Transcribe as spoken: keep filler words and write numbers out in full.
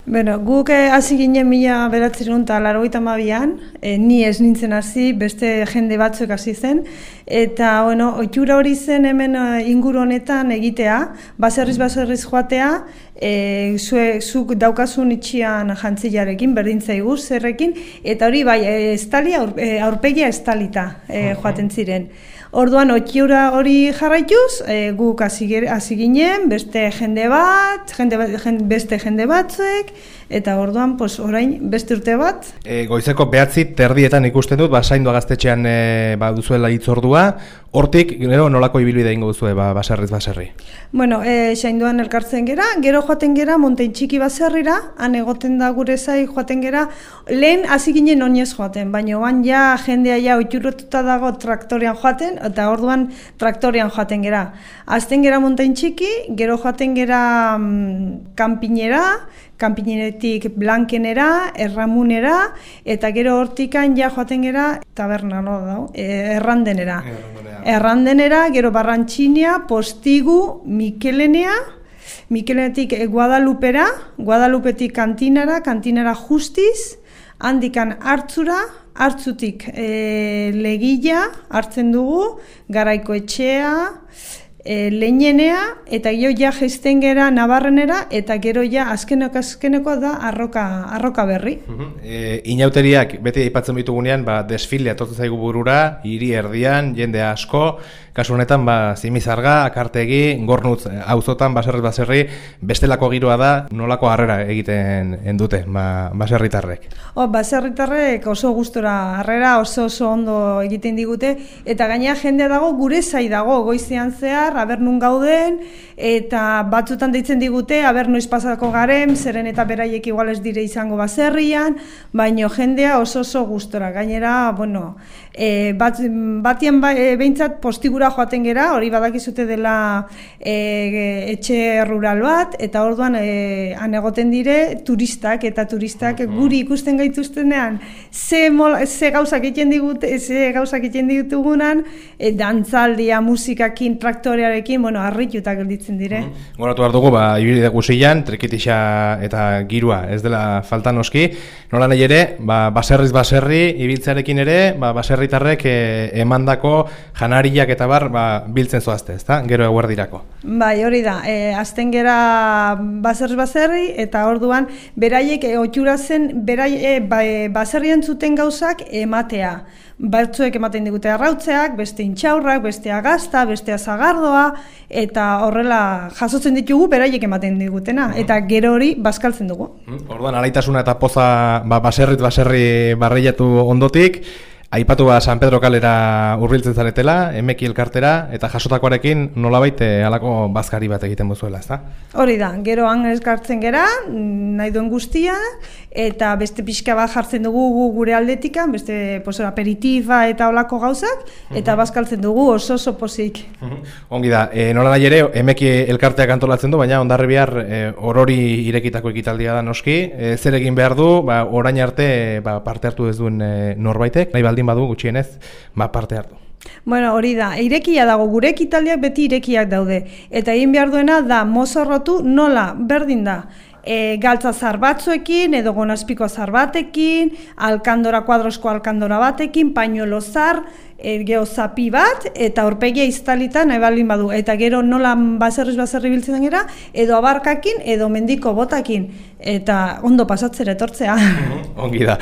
Bueno, guk hasi ginen mila bederatziehun eta laurogeita hamabian, e, ni ez nintzen hasi, beste jende batzuk hasi zen, eta bueno, ohitura hori zen hemen inguru honetan egitea, baserriz baserriz joatea, e, zue, zuk daukasun itxian jantzilarekin, berdin zaigu zerrekin, eta hori bai, estali, aur, aurpegia estalita e, joaten ziren. Orduan, ohitura hori jarraituz, e, guk hasi ginen, beste jende bat, jende, jende, beste jende batzuk, eta orduan, pues, orain, beste urte bat. E, goizeko behatzi terdietan ikusten dut, ba, Zaindua gaztetxean e, ba, duzuela hitzordua, hortik, gero nolako ibilbidea ingo duzue, ba, baserriz baserri? Bueno, e, Zainduan elkartzen gera, gero joaten gera, Montein Txiki baserrira, han egoten da gure zai joaten gera, lehen hasi ginen oinez joaten, baina oan ja jendea ja ohituratuta dago traktorean joaten, eta orduan traktorean joaten gera. Azten gera Montein Txiki, gero joaten gera mm, kanpinera, kanpineretik Blankenera, Erramunera, eta gero hortikan ja joaten gera taberna, no da, errandenera. Errandenera, gero Barrantxinia, Postigu, Mikelenea, Mikelenetik Guadalupera, Guadalupetik Kantinara, Kantinara Justiz, handikan Hartzura, Hartzutik e, Legilla hartzen dugu, Garaiko Etxea, e, Leinenea, eta gero ja jaisten gera Nabarrenera, eta gero ja azkeneko azkeneko da arroka, arroka berri. E, inauteriak beti aipatzen ditugunean, ba, desfilea etortzen zaigu burura, hiri erdian, jende asko, kasu honetan, ba, Zimizarga, Akartegi, Gornutz, auzotan, baserriz baserri, bestelako giroa da, nolako harrera egiten dute, ba, baserritarrek. O, baserritarrek oso gustora harrera, oso oso ondo egiten digute, eta gainera jendea dago gure zai dago, goizean zehar, aber nun gauden, eta batzutan deitzen digute, aber noiz pasako garen, zeren eta beraiek igual ez dire izango baserrian, baino jendea oso oso gustora. Gainera, bueno, e, bat, batien ba, e, behintzat postigura joaten gera, hori badakizute dela e, etxe rural bat, eta orduan e, han egoten dire turistak, eta turistak guri ikusten gaituztenean, ze, mol, ze gauzak egiten digute, ze gauzak egiten ditugunan, e, dantzaldia, musikakin, traktorearekin, bueno, harrituta gelditzen dire. Goratu behar dugu, ba, ibilbide guzian, trikitixa eta girua, ez dela falta noski, nola nahi ere, ba, baserriz baserri, ibiltzearekin ere, ba, baserritarrek e, emandako janariak eta bar, ba, biltzen zoazte, ezta? Gero eguerdirako. Bai, hori da, e, azten gera baserriz baserri, eta orduan, beraiek e, ohitura zen, berai, e, ba, e, baserrien zuten gauzak ematea. Batzuek ematen digute arrautzeak, beste intxaurrak, beste agazta, beste azagardoa, eta horrela jasotzen ditugu beraiek ematen digutena, eta gero hori bazkaltzen dugu. Orduan, alaitasuna eta poza ba, baserrit baserri barreiatu ondotik, aipatu ba San Pedro kalera hurbiltzen zaretela, emeki elkartera, eta jasotakoarekin nolabait halako bazkari bat egiten bozuela, ezta? Hori da, gero han elkartzen gera, nahi duen guztia, eta beste pixka bat jartzen dugu gure aldetikan, beste pues, aperitifa eta olako gauzak, eta bazkaltzen dugu oso oso pozik. Ongi da, e, nola nahi ere, emeki elkarteak antolatzen du, baina ondarri bihar e, orori irekitako ekitaldia da noski, e, zer egin behar du, ba, orain arte ba, parte hartu ez duen e, norbaitek, nahi baldin badu gutxienez, ba, parte hartu. Bueno, hori da, irekia dago, gure ekitaldiak beti irekiak daude, eta egin behar duena da mozorrotu nola, berdin da, e, galtza zar batzuekin, edo gonazpiko zar batekin, alkandora, kuadrosko alkandora batekin, pañuelo zar, e, geho zapi bat, eta aurpegia iztalita nahi baldin badu, eta gero nola baserriz baserri biltzen gera, edo abarkakin, edo mendiko botakin, eta ondo pasatzera etortzea. Ongi da.